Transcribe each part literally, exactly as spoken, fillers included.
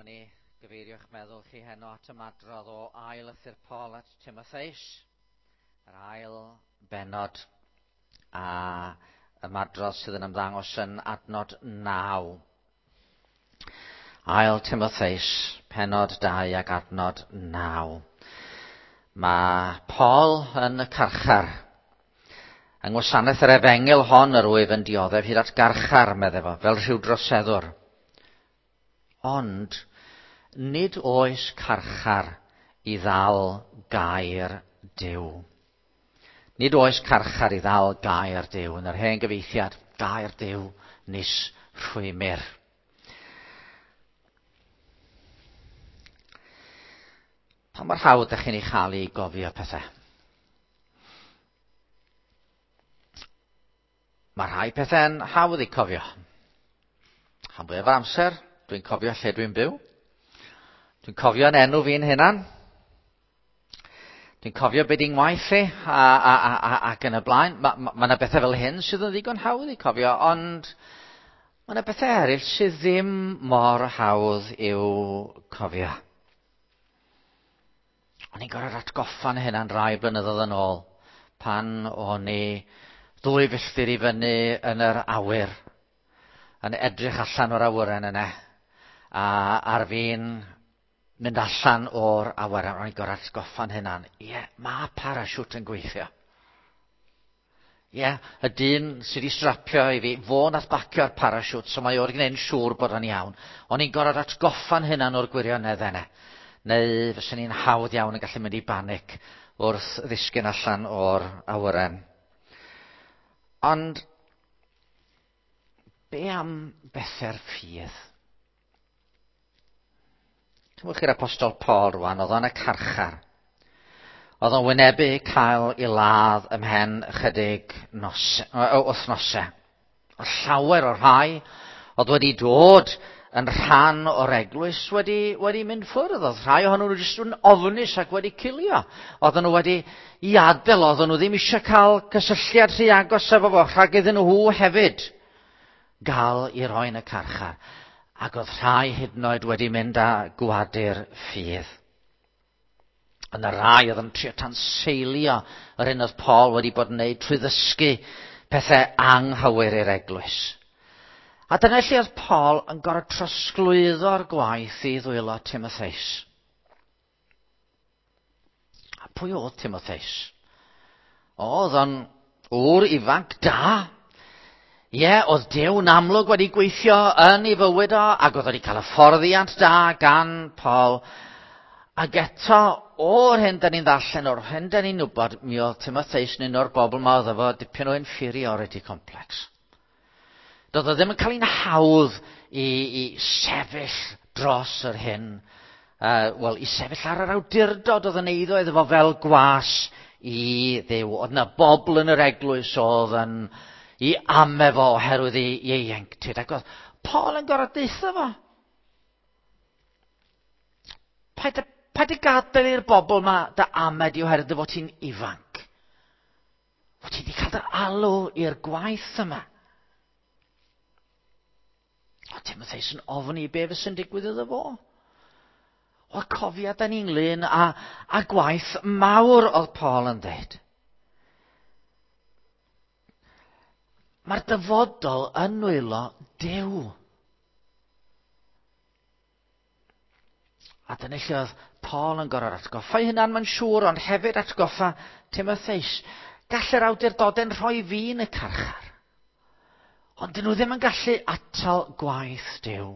O'n i gyfeirio'ch meddwl chi heno at ymadrodd o ail lythyr Paul at Timotheus, yr ail bennod a ymadrodd sydd yn ymddangos yn adnod naw. Ail Timotheus, pennod dau ac adnod naw. Mae Paul yn y carchar. Yng ngwasanaeth yr efengyl hon yr wyf yn dioddef hyd at garchar, medde fo, fel rhyw droseddwr. Ond nid oes carchar i ddal gair Duw. Nid oes carchar i ddal gair Duw. Yn yr hen gyfieithiad, gair Duw nis rhwymir. Pa mor hawdd ydych chi'n ei chael i gofio pethau? Mae rhai pethau'n hawdd i cofio. Rhan fwyaf o'r amser, dwi'n cofio lle dwi'n byw. Dwi'n cofio yn enw fi'n hunan. Dwi'n cofio be di'n ngwaith i a, a, a, a, ac yn y blaen. Mae ma, ma yna bethau fel hyn sydd yn ddigon hawdd i cofio, ond mae yna bethau eraill sydd ddim mor hawdd i'w cofio. O'n i'n gorfod atgoffa'n hunan rai blynyddoedd yn ôl pan o'n i ddwy filltir i fyny yn yr awyr, yn edrych allan o'r awyren yna, a ar fi'n mynd allan o'r awyren, o'n i'n gorfod atgoffa'n hunan, ie, mae parachute yn gweithio. Ie, y dyn sydd wedi strapio i fi, fo nath bacio'r parachute, so mae o'r gwneud yn siŵr bod o'n iawn. O'n i'n gorfod atgoffa'n hunan o'r gwirionedd yna. Neu fyswn i'n hawdd iawn yn gallu mynd i banic wrth ddisgyn allan o'r awyren. Ond be am bethau'r ffydd? Cymwch i'r apostol Paul rwan, oedd o'n y carchar. Oedd o'n wynebu cael ei ladd ymhen ychydig nos, wythnosau. Oedd llawer o'r rhai oedd wedi dod yn rhan o'r eglwys wedi, wedi mynd ffwrdd. Oedd rhai ohonyn nhw jyst yn ofnus ac wedi cilio. Oedden nhw wedi i adael, oedden nhw ddim eisiau cael cysylltiad rhy agos efo fo, rhag iddyn nhw hefyd gael i roi yn y carchar. Ac oedd rhai hyd yn oed wedi mynd â gwadu'r ffydd. Yna rai oedd yn trio tanseilio yr hyn oedd Paul wedi bod yn wneud trwy ddysgu pethau anghywir i'r eglwys. A dyna lle oedd Paul yn gorfod trosglwyddo'r gwaith i ddwylo Timotheus. A pwy oedd Timotheus? Oedd o'n ŵr ifanc da. Ie, oedd Duw'n amlwg wedi gweithio yn ei fywyd o, ac oedd wedi cael hyfforddiant da gan Paul. Ac eto, o'r hyn da ni'n ddarllen, o'r hyn da ni'n wybod, mi oedd Timotheus yn un o'r bobl ma oedd efo dipyn o inferiority complex. Doedd o ddim yn cael ein hawdd i, i sefyll dros yr hyn, uh, wel, i sefyll ar yr awdurdod oedd yn eiddo iddo fo fel gwas i Dduw. Oedd yna bobl yn yr eglwys oedd yn i ame fo oherwydd ei ieuenctid. Ac oedd Paul yn gorfod deutha fo. Paid, paid y gadael i'r bobl ma dy ame di oherwydd dy fod ti'n ifanc. Fod ti wedi cael dy alw i'r gwaith yma. O Timotheus yn ofni be fysa'n digwydd iddo fo. O cofia da ni'n ynglyn â, â gwaith mawr oedd Paul yn dweud. Mae'r dyfodol yn nwylo Duw. A dyna lle oedd Paul yn gorfod atgoffa ei hunan, mae'n siŵr, ond hefyd atgoffa Timotheus. Gall yr awdurdodau'n rhoi fi yn y carchar. Ond dyn nhw ddim yn gallu atal gwaith Duw.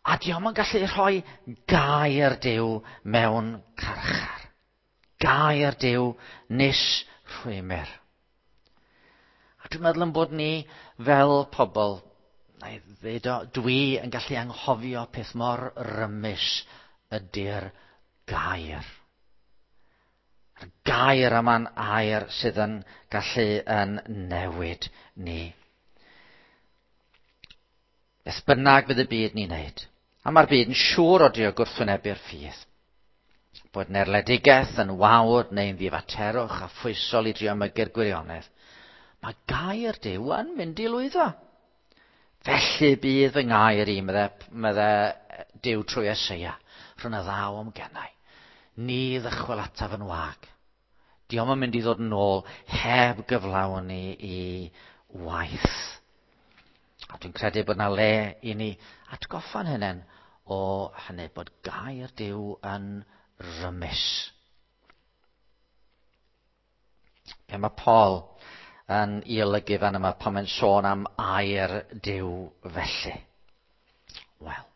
A dio'm yn gallu rhoi gair Duw mewn carchar. Gair Duw nis rhwymir. A dwi'n meddwl yn bod ni fel pobl, na i ddweud o, dwi yn gallu anghofio peth mor rymus ydy'r gair. Yr gair yma'n air sydd yn gallu yn newid ni. Beth bynnag fydd y byd ni'n neud. A mae'r byd yn siŵr o drio gwrthwynebu'r ffydd. Bod yn erledigaeth, yn wawr neu'n ddifaterwch a phwysol i drio mygu'r gwirionedd. Mae gair Duw yn mynd i lwyddo. Felly bydd fy ngair i, medde, medde Duw trwy Eseia, rhwng y ddaw o'm gennau. Ni ddychwel ataf yn wag. Dio'm yn mynd i ddod yn ôl heb gyflawni i waith. A dwi'n credu bod 'na le i ni atgoffa'n hunain o hynny, bod gair Duw yn rymus. Be mae Paul yn ei olygu fan yma pan mae'n sôn am air Duw felly? Wel,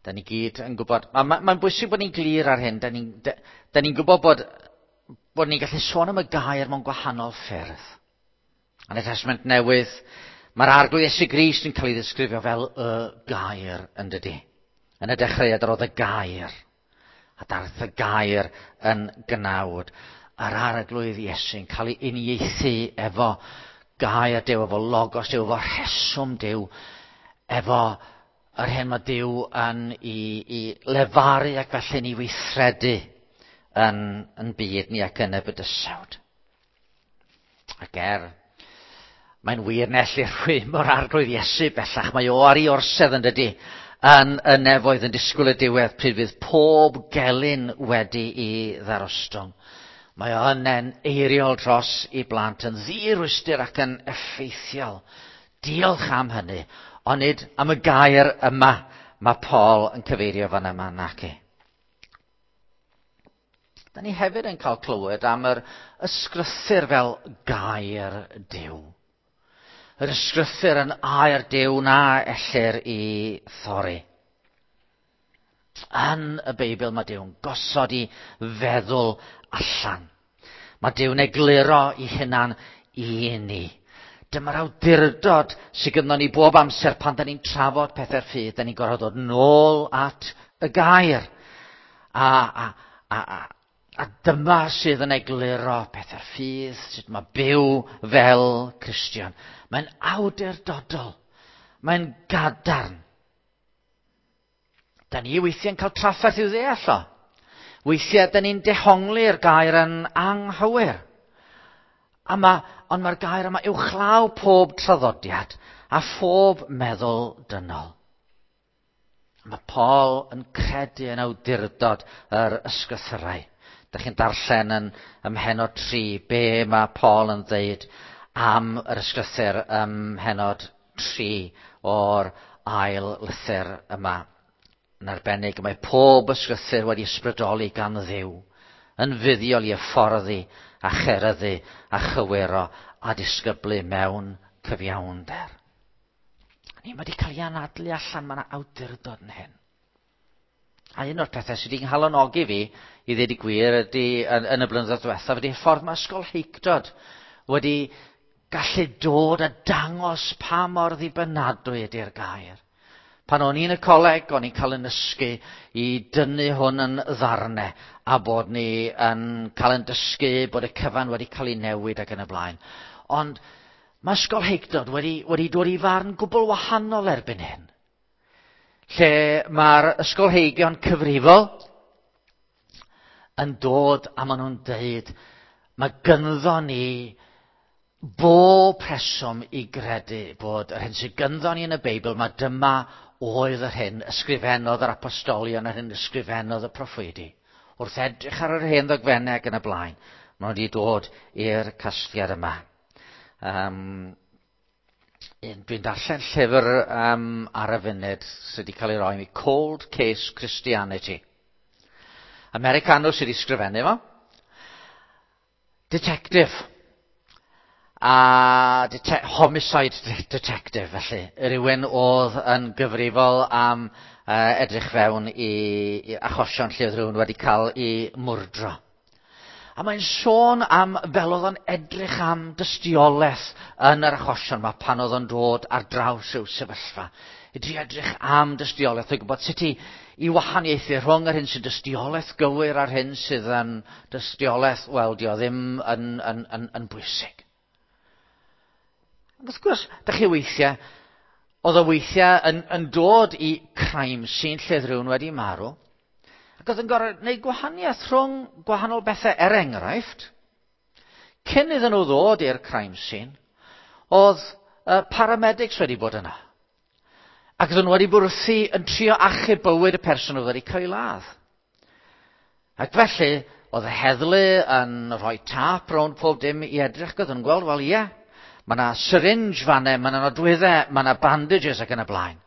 da ni gyd yn gwybod, mae'n ma, ma bwysig bod ni'n glir ar hyn, da ni'n da, da ni gwybod bod, bod ni'n gallu sôn am y gair mewn gwahanol ffyrdd. Yn y Testament Newydd, mae'r Arglwydd Iesu Grist yn cael ei ddisgrifio fel y gair, yn dydi. Yn y dechreuad yr oedd y gair, a daeth y gair yn gnawd. Yr Arglwydd Iesu'n cael ei uniaethu efo gair Duw, efo logos Duw, efo rheswm Duw, efo yr hyn mae Duw yn i, i lefaru ac felly'n ei weithredu yn, yn byd ni ac yn y bydysawd. Ac er, mae'n wir na ellir rhwym o'r Arglwydd Iesu bellach, mae o ar ei orsedd yn dydi, yn y nefoedd yn disgwyl y diwedd pryd fydd pob gelyn wedi i ddarostwng. Mae o yna'n eiriol dros i blant yn ddirwystr ac yn effeithiol. Diolch am hynny, ond nid am y gair yma mae Paul yn cyfeirio fan yma naci. Da ni hefyd yn cael clywed am yr ysgrythur fel gair Duw. Yr ysgrythur yn air Duw na ellir i thorri. Yn y Beibl mae Duw'n gosod i feddwl allan. Mae Duw'n egluro i hunan i ni. Dyma'r awdurdod sydd gynnon ni bob amser pan da ni'n trafod pethau'r ffydd. Da ni'n gorfod dod nôl at y gair. A, a, a, a, a dyma sydd yn egluro pethau'r ffydd, sut mae byw fel Cristion. Mae'n awdurdodol. Mae'n gadarn. Da ni weithiau'n cael trafferth i'w ddeall o. Weithiau da ni'n dehongli'r gair yn anghywir. A ma, ond mae'r gair yma uwchlaw pob traddodiad a phob meddwl dynol. Mae Paul yn credu yn awdurdod yr ysgrythurau. Da chi'n darllen yn ym mhennod tri be mae Paul yn dweud am yr ysgrythur ym mhennod tri o'r ail lythyr yma. Yn arbennig, mae pob ysgrythur wedi ysbrydoli gan Dduw, yn fuddiol i hyfforddi a cheryddu a chywiro a disgyblu mewn cyfiawnder. Ni wedi cael ei anadlu allan, mae yna awdurdod yn hyn. A un o'r pethau sydd wedi nghalonogi fi, i ddweud y gwir, ydy, yn, yn y blynyddoedd diwethaf, ydy ffordd mae ysgolheictod wedi gallu dod a dangos pa mor ddibynadwy ydy'r gair. Pan o'n i'n y coleg, o'n i'n cael yn dysgu i dynnu hwn yn ddarnau a bod ni yn cael yn dysgu bod y cyfan wedi cael ei newid ac yn y blaen. Ond mae ysgolheictod wedi, wedi dod i farn gwbl wahanol erbyn hyn. Lle mae'r ysgolheigion cyfrifol yn dod a maen nhw'n deud mae gynddo ni bob rheswm i gredu bod yr hyn sydd gynddo ni yn y Beibl, mae dyma oedd yr hyn ysgrifennodd yr apostolion, yr hyn ysgrifennodd y proffwydi. Wrth edrych ar yr hen ddogfennau ac yn y blaen, maen nhw wedi dod i'r casgliad yma. Um, dwi'n darllen llyfr um, ar y funud sydd wedi cael ei roi i mi, Cold Case Christianity. Americanwr sydd wedi sgrifennu fo. Detective. A dete- homicide detective, felly. Rhywun oedd yn gyfrifol am uh, edrych fewn i, i achosion lle oedd rhywun wedi cael ei mwrdro. A mae'n sôn am fel oedd o'n edrych am dystiolaeth yn yr achosion yma pan oedd o'n dod ar draws rhyw sefyllfa. I drio edrych am dystiolaeth, i gwybod sut i, i wahaniaethu rhwng yr hyn sy'n dystiolaeth gywir a'r hyn sydd yn dystiolaeth, wel, di o ddim yn, yn, yn, yn bwysig. Ac wrth gwrs, da chi weithiau, oedd o weithiau yn, yn dod i crime scene lle oedd rhywun wedi marw, ac oedd yn gorfod gwneud gwahaniaeth rhwng gwahanol bethau, er enghraifft, cyn iddyn nhw ddod i'r crime scene, oedd uh, paramedics wedi bod yna. Ac oedden nhw wedi bod wrthi yn trio achub bywyd y person oedd wedi cael ei ladd. Ac felly, oedd y heddlu yn rhoi tap rownd pob dim i edrych, oedden nhw'n gweld, wel ie, mae yna syringe fanne, mae yna nodwyddau, mae yna bandages ac yn y blaen.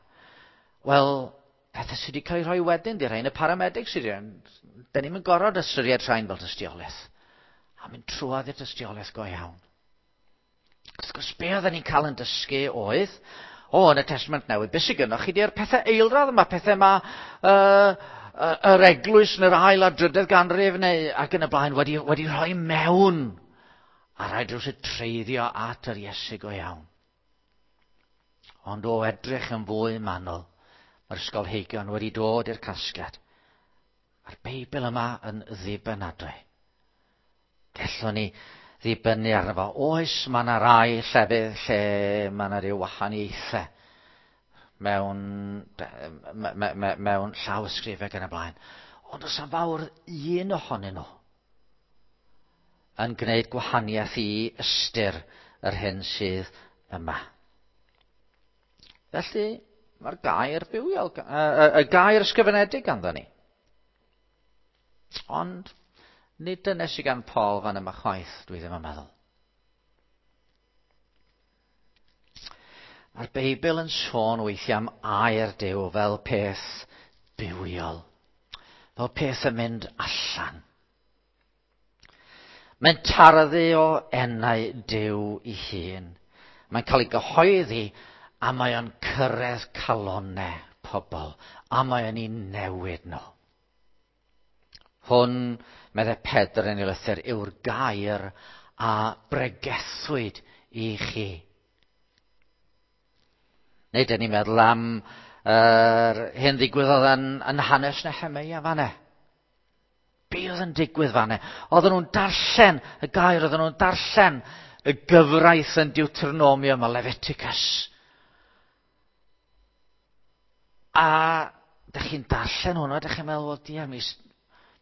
Wel, pethau sydd wedi cael eu rhoi wedyn, di rhain y paramedics sydd wedi. Da ni'n gorfod ystyried rhain fel tystiolaeth. A mynd trwodd i'r tystiolaeth go iawn. Wrth gwrs, be oedden ni'n cael yn dysgu oedd, o, yn y Testament Newydd, beth sydd gynnoch chi di'r pethau eilradd yma, pethau yma, uh, yr eglwys yn yr ail a drydedd ganrif neu ac yn y blaen wedi, wedi rhoi mewn. A rhaid rhywsut treiddio at yr Iesu go iawn. Ond o edrych yn fwy manwl, mae'r ysgolheigion wedi dod i'r casgliad. Mae'r Beibl yma yn ddibynadwy. Gellwn ni ddibynnu arno fo. Oes, mae yna rai llefydd lle mae yna rhyw wahaniaethau mewn, me, me, me, mewn llawysgrifau ac yn y blaen. Ond oes fawr un ohonyn nhw yn gwneud gwahaniaeth i ystyr yr hyn sydd yma. Felly, mae'r gair bywiol, y, y gair ysgrifenedig ganddo ni. Ond nid dyna sydd gan Paul fan yma chwaith, dwi ddim yn meddwl. Mae'r Beibl yn sôn weithiau am air Duw fel peth bywiol, fel peth yn mynd allan. Mae'n tarddu o enau Duw ei hun. Mae'n cael ei gyhoeddi a mae o'n cyrraedd calonnau pobl a mae o'n ei newid nhw. Hwn, meddai Pedr yn ei lythyr, yw'r gair a bregethwyd i chi. Neu dyn ni'n meddwl am yr uh, hyn ddigwyddodd yn, yn hanes Nehemia fanne. Be oedd yn digwydd fanne? Oedden nhw'n darllen y gair, oedden nhw'n darllen y gyfraith yn Deuteronomium a Leviticus. A dych chi'n darllen hwnnw, dych chi'n meddwl, wel, diar, mis,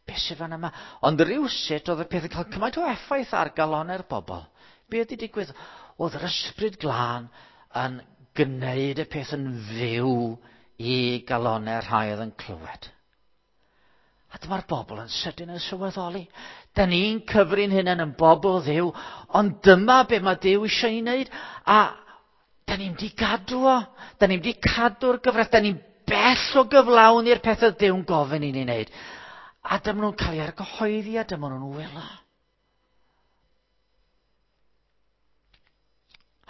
beth sydd fan yma? Ond rywsut oedd y peth yn cael cymaint o effaith ar galonnau'r bobl. Be oedd wedi digwydd? Oedd yr ysbryd glân yn gwneud y peth yn fyw i galonnau'r rhai oedd yn clywed. A dyma'r bobl yn sydyn yn sylweddoli. Da ni'n cyfri'n hunain yn bobl Dduw, ond dyma be mae Duw eisiau ei wneud. A da ni'n di gadw o. Da ni'n di cadw'r gyfraith. Da ni'n bell o gyflawni'r pethau Duw'n gofyn i ni wneud. A dyma nhw'n cael ei argyhoeddi a dyma nhw'n wylo.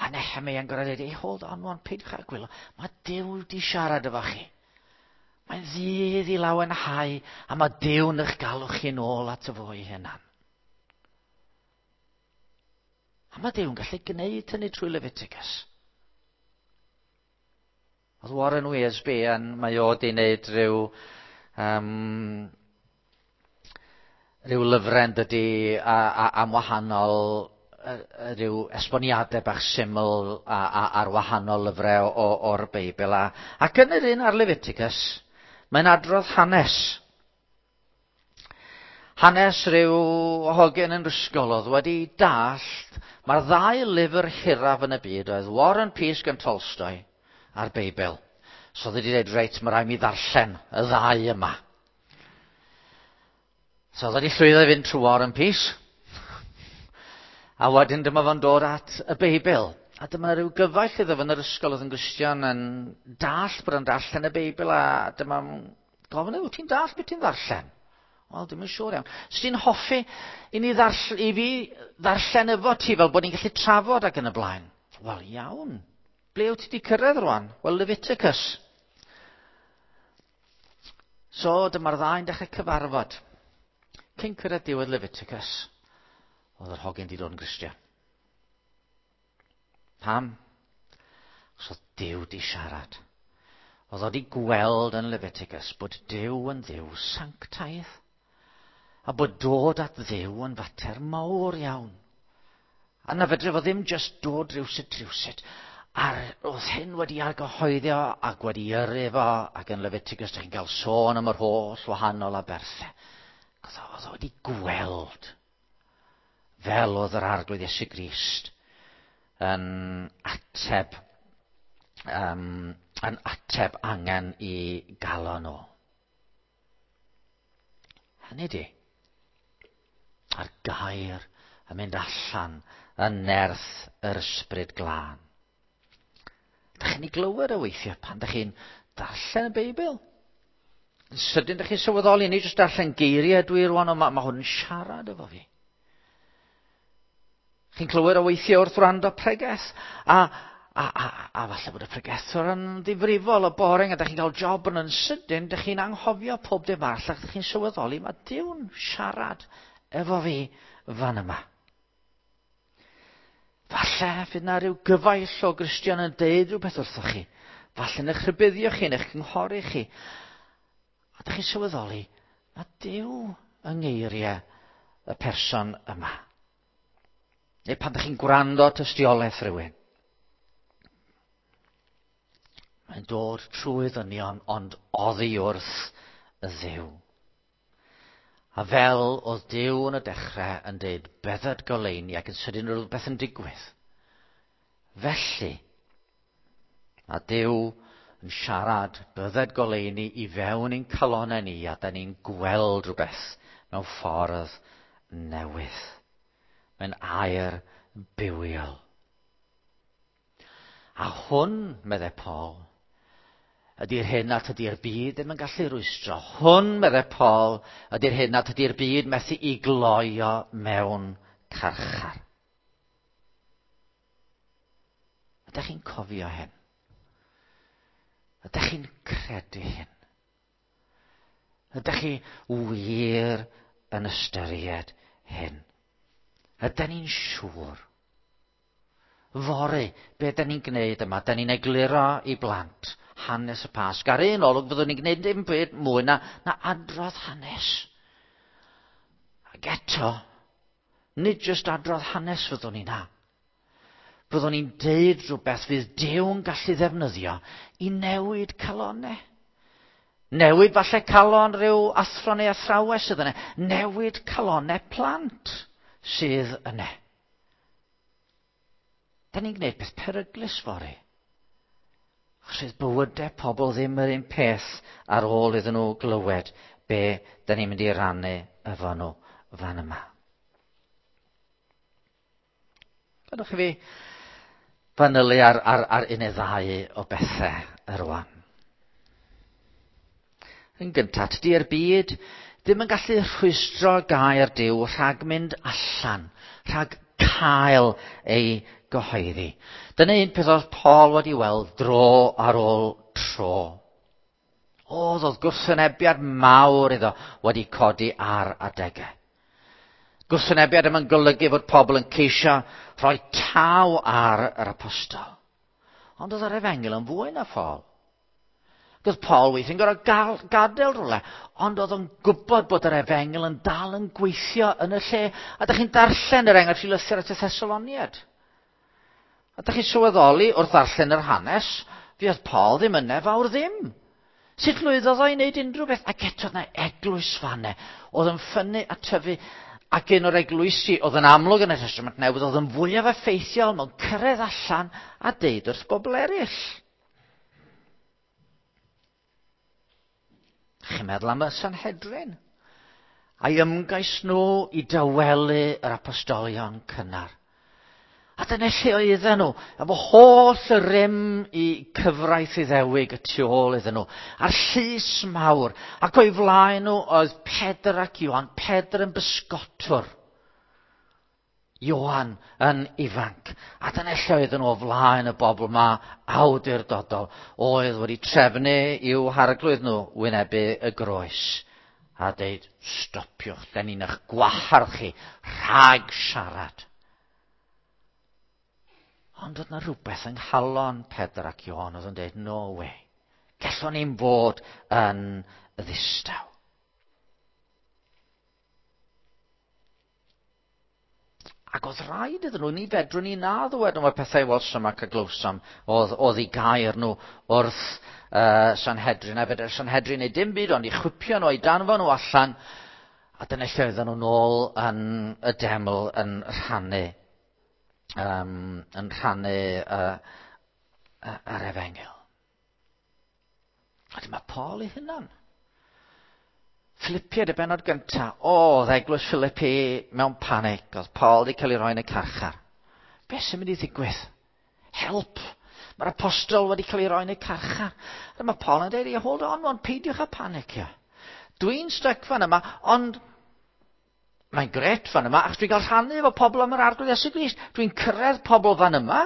A Nehemia'n gorfod dweud, hey, hold on, wan, peidiwch â gwylo. Mae Duw wedi siarad efo chi. Mae'n ddydd i lawenhau, a mae Duw'n eich galw chi nôl at y fo ei hunan. A mae Duw'n gallu gwneud hynny trwy Leviticus. Oedd Warren Wiersbe yn, mae o wedi wneud rhyw, um, rhyw lyfrau dydy a, a, am wahanol rhyw esboniadau bach syml a, a, ar wahanol lyfrau o, o'r Beibl. A, ac yn yr un ar Leviticus, mae'n adrodd hanes. Hanes rhyw hogyn yn ysgol oedd wedi dallt, mae'r ddau lyfr hiraf yn y byd oedd War and Peace gan Tolstoy a'r Beibl. So oedd wedi dweud, reit, mae rhaid mi ddarllen y ddau yma. So oedd wedi llwyddo i fynd trwy War and Peace. A wedyn dyma fo'n dod at y Beibl. A dyma rhyw gyfaill iddo fo yn yr ysgol oedd yn Gristion yn dallt bod yn darllen y Beibl, a dyma gofyn, wyt ti'n dallt beth ti'n ddarllen? Wel, dwi'm yn siŵr iawn. So ti'n hoffi i ni ddarll- i fi ddarllen efo ti fel bod ni'n gallu trafod ac yn y blaen? Wel, iawn. Ble wyt ti wedi cyrraedd rwan? Wel, Leviticus. So, dyma'r ddau'n dechrau cyfarfod. Cyn cyrraedd diwedd Leviticus, oedd yr hogyn wedi dod yn Gristion. Pam? Achos oedd Duw wedi siarad. Oedd o wedi gweld yn Leviticus bod Duw yn Dduw sanctaidd. A bod dod at Dduw yn fater mawr iawn. A na fedre fo ddim just dod rhywsut rhywsut. A oedd hyn wedi argyhoeddio ac wedi yrru fo, ac yn Leviticus dych chi'n cael sôn am yr holl wahanol aberthau. Oedd o wedi gweld fel oedd yr Arglwydd Iesu Grist yn ateb um, yn ateb angen i galon nhw. Hynny di, a'r gair yn mynd allan yn nerth yr ysbryd glân. Dach chi'n ei glywed o weithiau pan dach chi'n darllen y Beibl? Yn sydyn dach chi'n sylweddoli, nid jyst darllen geiriau dwi rwan, ond mae, ma hwn yn siarad efo fi. Chi'n clywed o weithiau wrth wrando pregeth, a, a, a, a falle bod y pregethwr yn ddifrifol o boring, a dach chi'n cael job yn yn sydyn, dach chi'n anghofio pob dim arall, ac dach chi'n sylweddoli, mae Duw'n siarad efo fi fan yma. Falle fydd na rhyw gyfaill o Gristion yn deud rhywbeth wrthoch chi. Falle yn eich rhybuddio chi, yn eich cynghori chi. A dych chi'n sylweddoli, mae Duw yng ngeiriau y person yma. Neu pan dych chi'n gwrando tystiolaeth rhywun. Mae'n dod trwy ddynion, ond oddi wrth y Dduw. A fel oedd Duw yn y dechrau yn dweud bydded goleuni ac yn sydyn rhywbeth yn digwydd. Felly, mae Duw yn siarad bydded goleuni i fewn i'n calonnau ni a da ni'n gweld rhywbeth mewn ffordd newydd. Mae'n air bywiol. A hwn, meddai Paul, ydy'r hyn nad ydy'r byd ddim yn gallu rwystro. Hwn, meddai Paul, ydy'r hyn nad ydy'r byd methu i gloio mewn carchar. Ydych chi'n cofio hyn? Ydych chi'n credu hyn? Ydych chi wir yn ystyried hyn? Ydyn ni'n siŵr? Fory, be ydyn ni'n gwneud yma? Ydyn ni'n egluro i blant hanes y Pasg. Ar un olwg fyddwn ni'n gwneud dim byd mwy na, na adrodd hanes. Ac eto, nid jyst adrodd hanes fyddwn ni na. Fyddwn ni'n deud rhywbeth fydd Duw'n gallu ddefnyddio i newid calonnau. Newid falle calon rhyw athro neu athrawes sydd yna. Newid calonnau plant sydd yna. Da ni'n gwneud peth peryglus fory. Achos bywydau pobl ddim yr un peth ar ôl iddyn nhw glywed be da ni'n mynd i rannu efo nhw fan yma. Gadwch i fi fanylu ar, ar, ar un neu ddau o bethau rwan. Yn gyntaf, tydi'r byd ddim yn gallu rhwystro gair Duw rhag mynd allan, rhag cael ei gyhoeddi. Dyna un peth oedd Paul wedi weld dro ar ôl tro. Oedd oedd gwrthwynebiad mawr iddo wedi codi ar adegau. Gwrthwynebiad yma'n golygu fod pobl yn ceisio rhoi taw ar yr apostol. Ond oedd yr efengyl yn fwy na Paul. Oedd Paul weithiau'n gorfod gadael rhywle, ond oedd o'n gwybod bod yr efengyl yn dal yn gweithio yn y lle. A dych chi'n darllen yr enghraifft i lythyr at y Thessaloniaid. A dych chi'n sylweddoli wrth ddarllen yr hanes, fuodd Paul ddim yna fawr ddim. Sut lwyddodd o i wneud unrhyw beth? Ac eto yna eglwys fanne oedd yn ffynnu a tyfu, ac un o'r eglwysi oedd yn amlwg yn y Testament Newydd oedd yn fwyaf effeithiol mewn cyrraedd allan a deud wrth bobl eraill. Chi'n meddwl am y Sanhedrin? A'i ymgais nhw i dawelu yr apostolion cynnar. A dyna lle oedden nhw, efo holl y rym i cyfraith Iddewig y tu ôl iddyn nhw, a'r llys mawr, ac o'i flaen nhw oedd Pedr ac Ioan, Pedr yn bysgotwr, Ioan yn ifanc. A dyna lle oedden nhw o flaen y bobl ma awdurdodol, oedd wedi trefnu i'w harglwydd nhw wynebu y groes. A deud, stopiwch, da ni'n eich gwahardd chi rhag siarad. Ond oedd na rhywbeth yng nghalon Pedr ac Ioan oedd yn dweud, no way, gallwn ni'n fod yn ddistaw. Ac oedd rhaid iddyn nhw, ni fedrwn ni na ddwed am y pethau welsom ac a glywsom, oedd, oedd i gair nhw wrth uh, Sanhedrin, a fedr Sanhedrin neu dim byd, ond i chwipio nhw, i danfon nhw allan, a dyna lle oedden nhw nôl yn y deml yn rhannu. Um, yn rhannu uh, yr efengyl. A dyma Paul ei hunan. Philippiaid y bennod gyntaf. O, oedd eglwys Philippi mewn panic. Oedd Paul wedi cael ei roi yn y carchar. Beth sy'n mynd i ddigwydd? Help! Mae'r apostol wedi cael ei roi yn y carchar. A mae Paul yn dweud, hold on, on, peidiwch â panicio. Dwi'n stuck fan yma, ond mae'n grêt fan yma, achos dwi'n cael rhannu efo pobl am yr Arglwydd Iesu Grist. Dwi'n cyrraedd pobl fan yma.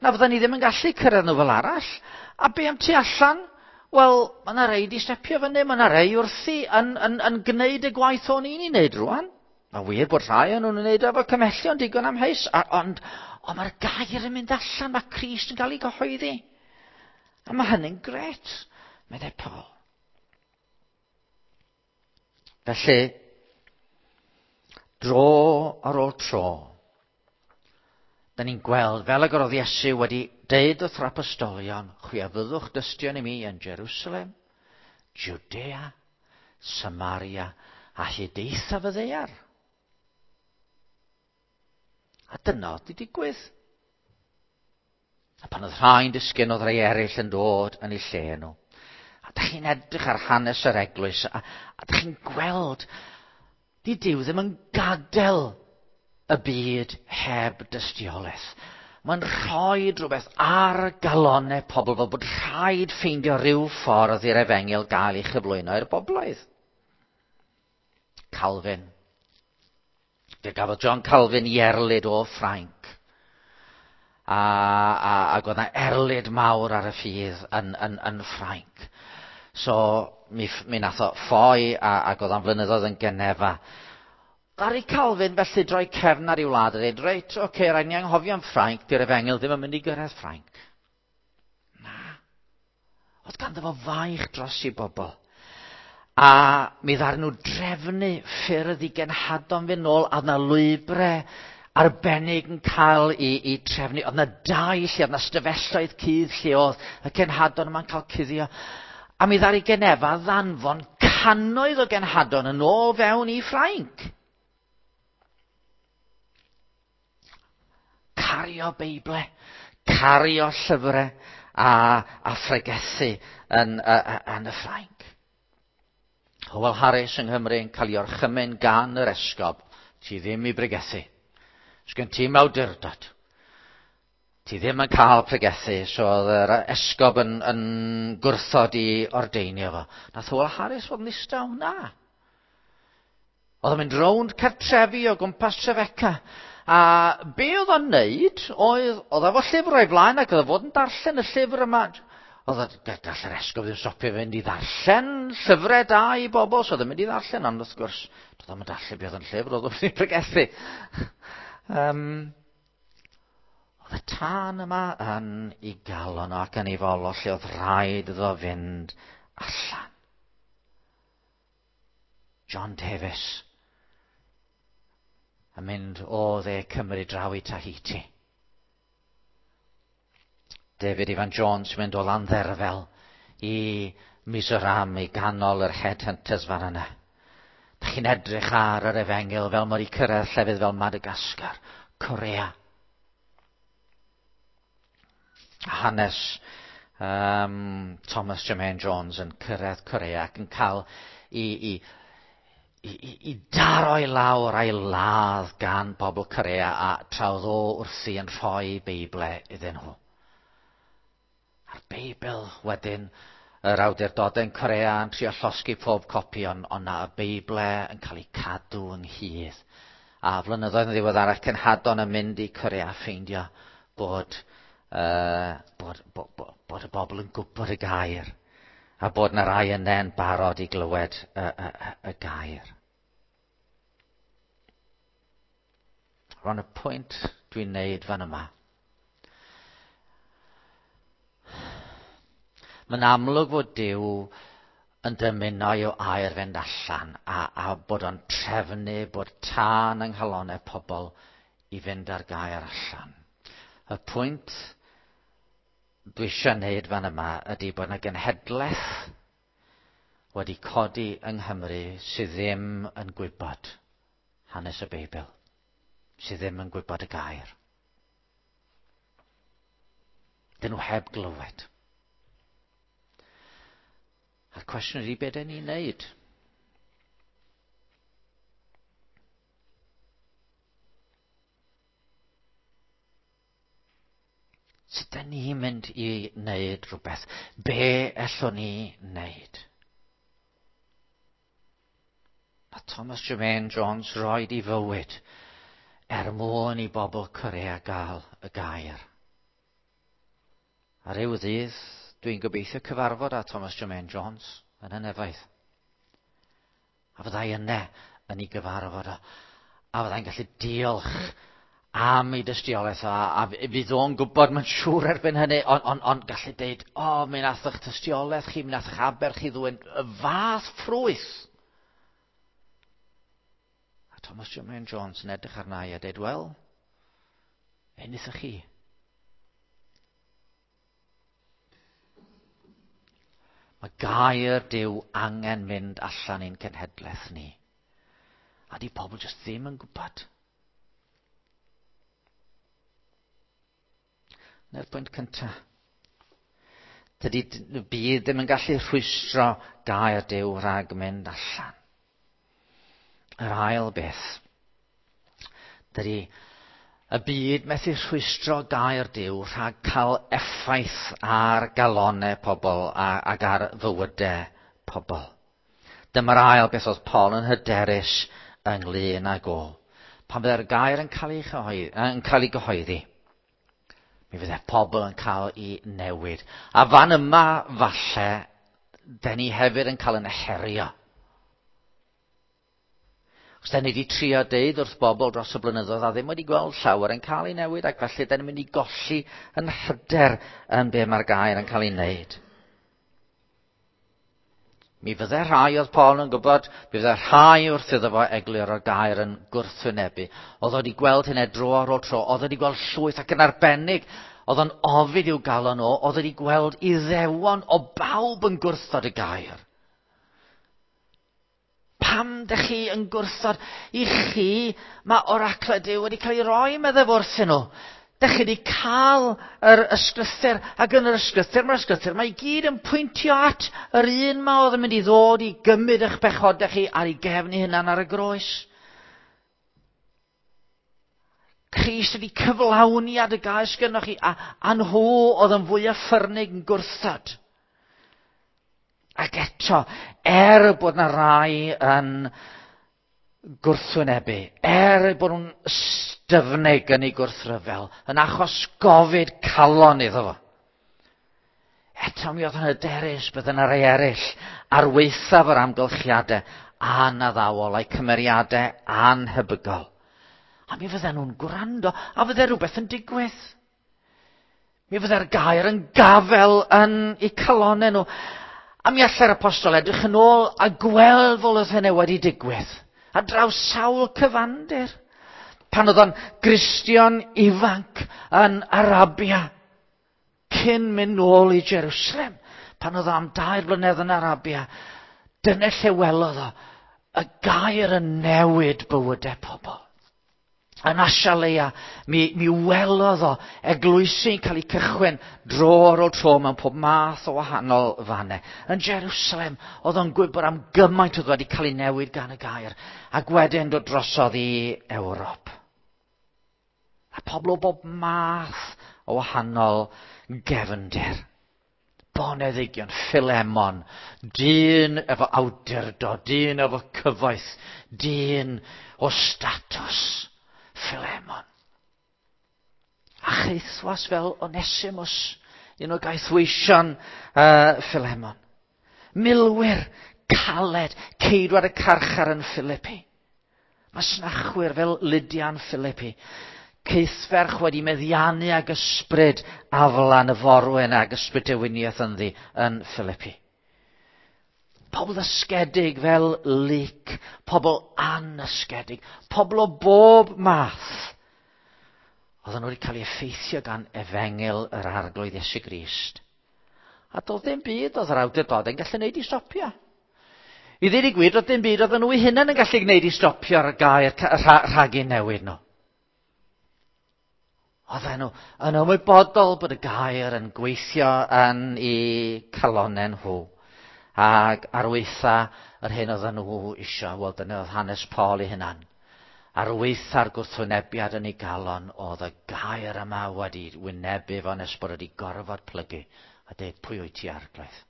Na fydden ni ddim yn gallu cyrraedd nhw fel arall. A be am tu allan? Wel, mae yna rei di stepio fyny, mae yna rei wrthi yn, yn, yn gwneud y gwaith o'n i'n ei wneud rwan. Mae wir bod rhai o'n nhw'n wneud efo cymhellion digon amheus, ond, ond mae'r gair yn mynd allan, mae Crist yn cael ei gyhoeddi. A mae hynny'n grêt, meddai Paul. Felly, dro ar ôl tro, da ni'n gweld, fel ag yr oedd Iesu wedi deud wrth yr apostolion, chwi a fyddwch dystion i mi yn Jerusalem, Judea, Samaria, a hyd eithaf y ddaear. A dyna oedd wedi digwydd. A pan oedd rhai'n disgyn, oedd rhai eraill yn dod yn eu lle nhw. A da chi'n edrych ar hanes yr eglwys, a, a da chi'n gweld, di Duw ddim yn gadael y byd heb dystiolaeth. Mae'n rhoi rhywbeth ar galonau pobl fel bod rhaid ffeindio rhyw ffordd i'r efengyl gael ei chyflwyno i'r bobloedd. Calvin. Fe gafodd John Calvin i erlid o Ffrainc. A, a, ac oedd yna erlid mawr ar y ffydd yn, yn, yn Ffrainc. So, mi, mi nath o ffoi a, ac oedd o'n flynyddoedd yn Genefa. Ddaru Calvin felly droi cefn ar ei wlad a dweud, reit, oce, okay, rhaid ni anghofio am Ffrainc, di'r efengyl ddim yn mynd i gyrraedd Ffrainc. Na. Oedd ganddo fo faich dros i bobl. A mi ddaru nhw drefnu ffyrdd i genhadon fynd nôl, a oedd 'na lwybrau arbennig yn cael i, i trefnu. Oedd 'na dai lle, oedd 'na stafelloedd cudd lle oedd y cenhadon yma'n cael cuddio. A mi ddaru Genefa ddanfon cannoedd o genhadon yn ôl fewn i Ffrainc. Cario Beible, cario llyfrau a, a phregethu yn, yn y Ffrainc. Hywel Harris yng Nghymru yn cael ei orchymyn gan yr esgob, ti ddim i bregethu. Sgen ti'm awdurdod. Ti ddim yn cael pregethu, so oedd yr esgob yn, yn gwrthod i ordeinio fo. Nath Hywel Harris fod yn ddistaw? Na. Oedd o'n mynd rownd cartrefi o gwmpas Trefeca. A be oedd o'n neud, oedd, oedd efo llyfr o'i flaen ac oedd o fod yn darllen y llyfr yma. Oedd o, gall yr esgob ddim stopio fynd i ddarllen llyfrau da i bobl, so oedd o'n mynd i ddarllen, ond wrth gwrs, doedd o'm yn darllen beth oedd yn llyfr, oedd o'n mynd i pregethu. Um, oedd y tân yma yn ei galon o ac yn ei fol o lle oedd rhaid iddo fynd allan. John Davies yn mynd o dde Cymru draw i Tahiti. David Ifan Jones yn mynd o Landderfel i Mizoram, i ganol yr headhunters fan yna. Da chi'n edrych ar yr efengyl fel mor i cyrraedd llefydd fel Madagascar, Corea. A hanes um, Thomas Jermaine Jones yn cyrraedd Corea ac yn cael i, i, i, i, i daro i lawr a'i ladd gan bobl Corea a tra oedd o wrthi yn rhoi Beible iddyn nhw. A'r Beibl wedyn, yr awdurdodau yn Corea yn trio llosgi pob copi, ond on na y Beible yn cael ei cadw ynghyd. A flynyddoedd yn ddiweddarach, cenhadon yn mynd i Corea a ffeindio bod, uh, bod, bod, bod, bod y bobl yn gwybod y gair, a bod na rai yna'n barod i glywed y, y, y, y gair. Rwan y pwynt dwi'n neud fan yma. Mae'n amlwg fod Duw yn dymuno i'w air fynd allan a, a bod o'n trefnu bod tân yng nghalonnau pobl i fynd ar gair allan. Y pwynt dwi eisiau wneud fan yma ydy bod yna genhedlaeth wedi codi yng Nghymru sydd ddim yn gwybod hanes y Beibl, sydd ddim yn gwybod y gair. Dyn nhw heb glywed. A'r cwestiwn ydy, be dyn ni'n neud? Sut dyn ni'n mynd i wneud rhywbeth? Be allwn ni wneud? A Thomas Jermaine Jones roed i fywyd er mwyn i bobl Corea gael y gair. A ryw ddydd, dwi'n gobeithio cyfarfod â Thomas Jermaine Jones yn y nefoedd. A fyddai yna yn ei gyfarfod o. A fyddai'n gallu diolch am ei dystiolaeth o, a fydd o'n gwybod, mae'n siŵr erbyn hynny, ond on, on gallu deud, o, oh, mi nath eich tystiolaeth chi, mi nath eich aber chi ddwyn y fath ffrwyth. A Thomas Jermaine Jones yn edrych arna i a deud, wel, be wnaethoch chi? Mae gair Duw angen mynd allan i'n cenhedlaeth ni. A di pobl jyst ddim yn gwybod. Na'r pwynt cyntaf. Dydy byd ddim yn gallu rhwystro gair Duw rhag mynd allan. Yr ail beth. Dydy y byd methu rhwystro gair Duw rhag cael effaith ar galonau pobl ac ar fywydau pobl. Dyma'r ail beth oedd Paul yn hyderus ynglyn ag o. Pan fydde'r gair yn cael ei chyhoeddi, yn cael ei gyhoeddi, mi fydde pobl yn cael ei newid. A fan yma, falle, den ni hefyd yn cael yn herio. Os da ni wedi trio deud wrth bobl dros y blynyddoedd a ddim wedi gweld llawer yn cael ei newid, ac felly da ni'n mynd i golli yn hyder yn be mae'r gair yn cael ei wneud. Mi fydde rhai oedd Paul yn gwybod, mi fydde rhai wrth iddo fo egluro'r gair yn gwrthwynebu. Oedd wedi gweld hynny dro ar ôl tro, oedd wedi gweld llwyth ac yn arbennig, oedd o'n ofid i'w galon o, oedd wedi gweld Iddewon o bawb yn gwrthod y gair. Pam dych chi yn gwrthod? I chi mae oraclau Duw wedi cael ei roi, meddai wrthyn nhw. Dych chi wedi cael yr ysgrythur, ac yn yr ysgrythur, mae'r ysgrythur, mae i gyd yn pwyntio at yr un ma oedd yn mynd i ddod i gymryd eich bechodau chi ar ei gefn ei hunan ar y groes. Crist wedi cyflawniad y gair sgynnoch chi, a, a nhw oedd yn fwy ffyrnig yn gwrthod. Ac eto, er bod na rai yn gwrthwynebu, er bod nhw'n styfnig yn ei gwrthryfel, yn achos gofid calon iddo fo. Eto mi oedd yn hyderus bydd yna rai eraill ar waethaf yr amgylchiadau anaddawol a'i cymeriadau anhebygol. A mi fydden nhw'n gwrando, a fydde rhywbeth yn digwydd. Mi fydde'r gair yn gafel yn eu calonau nhw. A mi allai'r apostol edrych yn ôl a gweld fel oedd hynny wedi digwydd. A draws sawl cyfandir. Pan oedd o'n Gristion ifanc yn Arabia, cyn mynd nôl i Jerusalem, pan oedd o am dair blynedd yn Arabia, dyna lle welodd o y gair yn newid bywydau pobl. Yn Asialeia, mi, mi welodd o eglwysi'n cael ei cychwyn dro ar ôl tro mewn pob math o wahanol fannau. Yn Jerusalem, oedd o'n gwybod am gymaint oedd wedi cael ei newid gan y gair, ac wedyn dod drosodd i Ewrop. A pobl o bob math o wahanol gefndir. Boneddigion, Philemon, dyn efo awdurdod, dyn efo cyfoeth, dyn o statws. Philemon. A chaethwas fel Onesimus, un o gaethweision uh, Philemon. Milwyr caled, ceidwad y carchar yn Philippi. Masnachwyr fel Lydian Philippi. Caethferch wedi meddiannu ag ysbryd aflan y forwyn ag ysbryd dewiniaeth ynddi yn Philippi. Pobl ysgedig fel Luc, pobl anysgedig, pobl o bob math. Oedden nhw wedi cael eu effeithio gan efengyl yr Arglwydd Iesu Grist. A doedd dim byd oedd yr awdurdodau yn gallu gwneud i stopio. I ddweud y gwir, doedd dim byd oedden nhw eu hunain yn gallu gwneud i stopio'r gair rhag eu newid nhw. Oedden nhw yn ymwybodol bod y gair yn gweithio yn eu calonnau nhw. Ac ar weitha yr hyn oedden nhw isio, wel dyna oedd hanes Paul ei hunan. Ar weitha'r gwrthwynebiad yn ei galon, oedd y gair yma wedi wynebu fo nes bod wedi gorfod plygu a dweud pwy wyt ti arglwydd.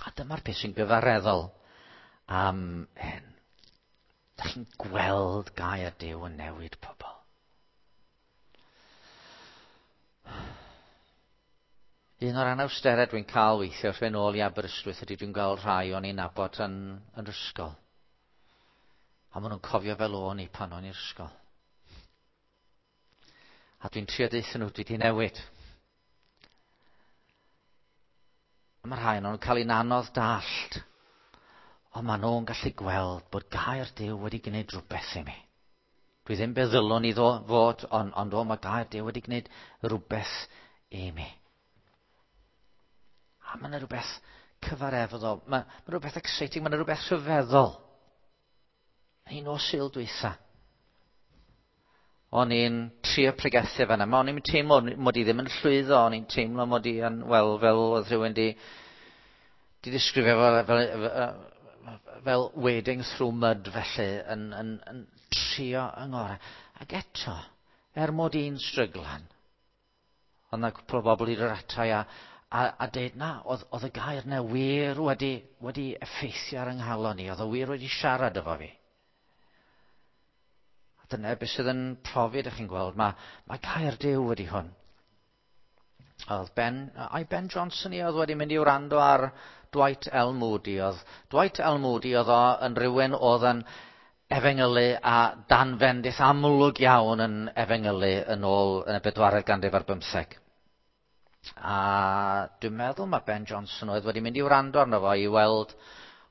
A dyma'r peth sy'n gyfareddol am hyn. Da chi'n gweld gair Duw yn newid pobl. Un o'r anawsterau dwi'n cael weithio wrth fynd nôl i Aberystwyth ydy dwi'n gweld rhai o'n i'n nabod yn, yn ysgol. A maen nhw'n cofio fel o'n i pan o'n i'r ysgol. A dwi'n trio deutha nhw, dwi wedi newid. A mae rhai nhw'n cael ein anodd dallt. Ond maen nhw'n gallu gweld bod gair Duw wedi gwneud rhywbeth i mi. Dwi ddim be ddylwn i fod, ond, ond o, mae gair Duw wedi gwneud rhywbeth i mi. A mae yna rhywbeth cyfareddol, mae, mae rhywbeth exciting, mae yna rhywbeth rhyfeddol. Un o Sul dwytha. O'n i'n trio pregethu fan'na. Ma' o'n i'n teimlo mod i ddim yn llwyddo, o'n i'n teimlo mod i yn, wel, fel oedd rhywun di, di ddisgrifio fel, fel, fel, fel wading through mud felly, yn, yn, yn trio yng ngorau. Ac eto, er mod i'n stryglan, oedd yna cwpl o bobl i ddod ata i a, a, a deud na, oedd, oedd y gair na wir wedi, wedi effeithio ar yng nghalon i, oedd o wir wedi siarad efo fi. A dyna beth sydd yn profi, ydych chi'n gweld, mae, mae gair Duw wedi hwn. Oedd Ben, ai Ben Johnson i oedd wedi mynd i wrando ar Dwight L. Moody. Oedd Dwight L. Moody oedd o yn rhywun oedd yn efengylu a dan fendith amlwg iawn yn efengylu yn ôl yn y bedwaredd ganrif ar bymtheg. A dwi'n meddwl mae Ben Johnson oedd wedi mynd i wrando arno fo i weld,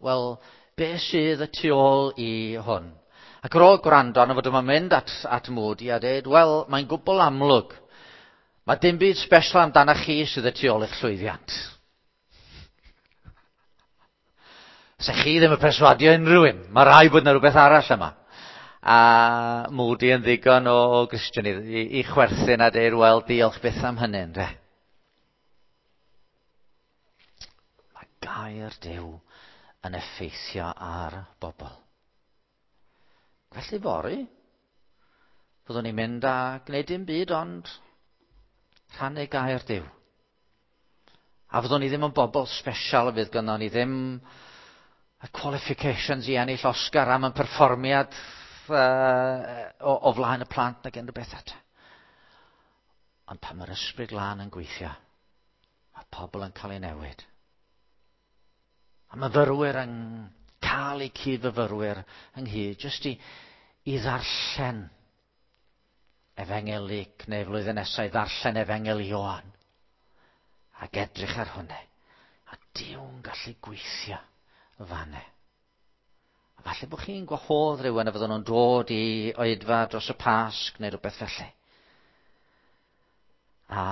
wel, be sydd y tu ôl i hwn. Ac ar ôl gwrando arno fo dyma mynd at, at Moody a dweud, wel, mae'n gwbl amlwg. Mae dim byd special amdano chi sydd y tu ôl i'ch llwyddiant. Se chi ddim yn perswadio unrhyw un. Mae rhaid bod yna rhywbeth arall yma. A Moody yn ddigon o Gristion i, i, i chwerthin a deud, wel, diolch byth am hynny, ynde. Mae gair Duw yn effeithio ar bobl. Felly fory, fyddwn ni'n mynd a gwneud dim byd ond rhannu gair Duw. A fyddwn ni ddim yn bobl special, fydd gynnon ni ddim y qualifications i ennill Oscar am yn perfformiad uh, o, o flaen y plant nag unrhyw beth eto. Ond pan mae'r ysbryd glân yn gweithio, mae pobl yn cael ei newid. A myfyrwyr yn cael eu cyd-fyfyrwyr ynghyd, jyst i, i ddarllen Efengyl Luc neu flwyddyn nesaf i ddarllen Efengyl Ioan. Ac edrych ar hwnna. A Duw'n gallu gweithio fanne. A falle bod chi'n gwahodd rhywun a fydden nhw'n dod i oedfa dros y Pasg neu rhywbeth felly. A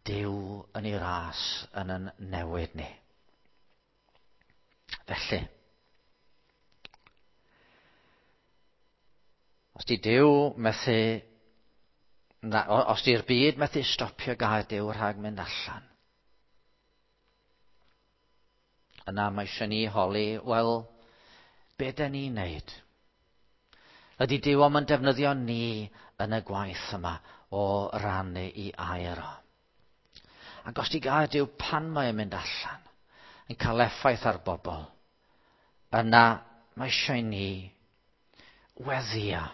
Duw yn ei ras yn yn newid ni. Felly, os di Duw methu, na, os di'r byd methu stopio gair Duw rhag mynd allan, yna mae eisiau ni holi, wel, be den ni'n neud? Ydy Duw am yn defnyddio ni yn y gwaith yma o rannu i air o? Ac os di gair Duw pan mae'n mynd allan, yn cael effaith ar bobl, yna mae eisiau ni weddio.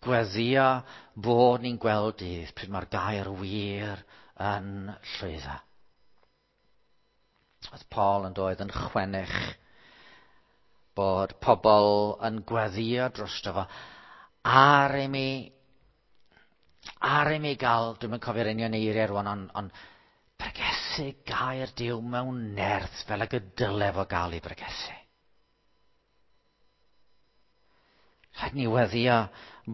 Gweddio bod ni'n gweld dydd pryd mae'r gair wir yn llwyddo. Oedd Paul yn doedd yn chwennych bod pobl yn gweddio drosto fo ar i mi, ar i mi gael, dwi'm yn cofio'r union eiriau rwan, ond on pregethu gair Duw mewn nerth fel ag y dyle fo gael ei bregethu. Rhaid ni weddio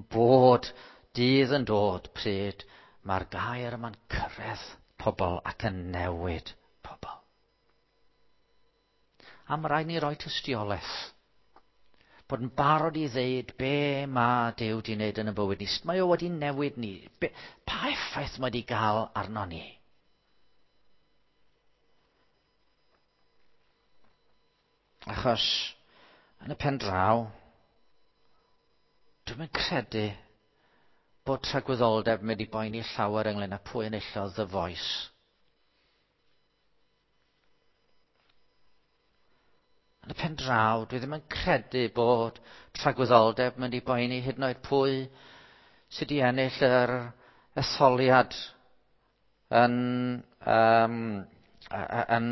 bod dydd yn dod pryd mae'r gair yma'n cyrraedd pobl ac yn newid pobl. A mae rhaid ni roi tystiolaeth. Bod yn barod i ddeud be mae Duw wedi wneud yn y bywyd ni. Sut mae o wedi newid ni. Be, pa effaith mae wedi gael arno ni? Achos yn y pen draw, dwi'm yn credu bod tragwyddoldeb mynd i boeni llawer ynglyn â pwy enillodd The Voice. Yn y pen draw, dwi ddim yn credu bod tragwyddoldeb mynd i boeni hyd yn oed pwy sydd wedi ennill yr etholiad yn, um, yn,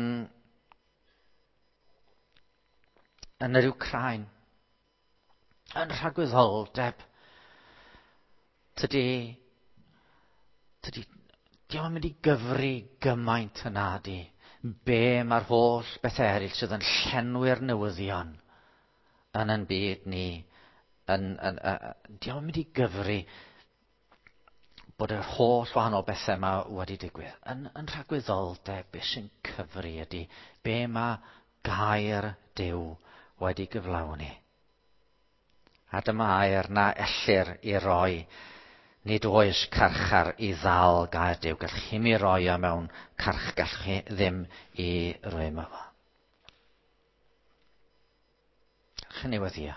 yn yr Wcráin. Yn rhagwyddoldeb, tydi, tydi, dio'm yn mynd i gyfri gymaint yna di. Be mae'r holl bethau eraill sydd yn llenwi'r newyddion yn yn byd ni, yn, yn, yn, dio'm yn mynd i gyfri bod yr holl wahanol bethau yma wedi digwydd. Yn, yn rhagwyddoldeb, beth sy'n cyfri ydy be mae gair Duw wedi gyflawni. A dyma air na ellir i roi. Nid oes carchar i ddal gair Duw. Gallwch chi mi roi o mewn carch, gallwch chi ddim i rwymo fo. Chi ni weddio.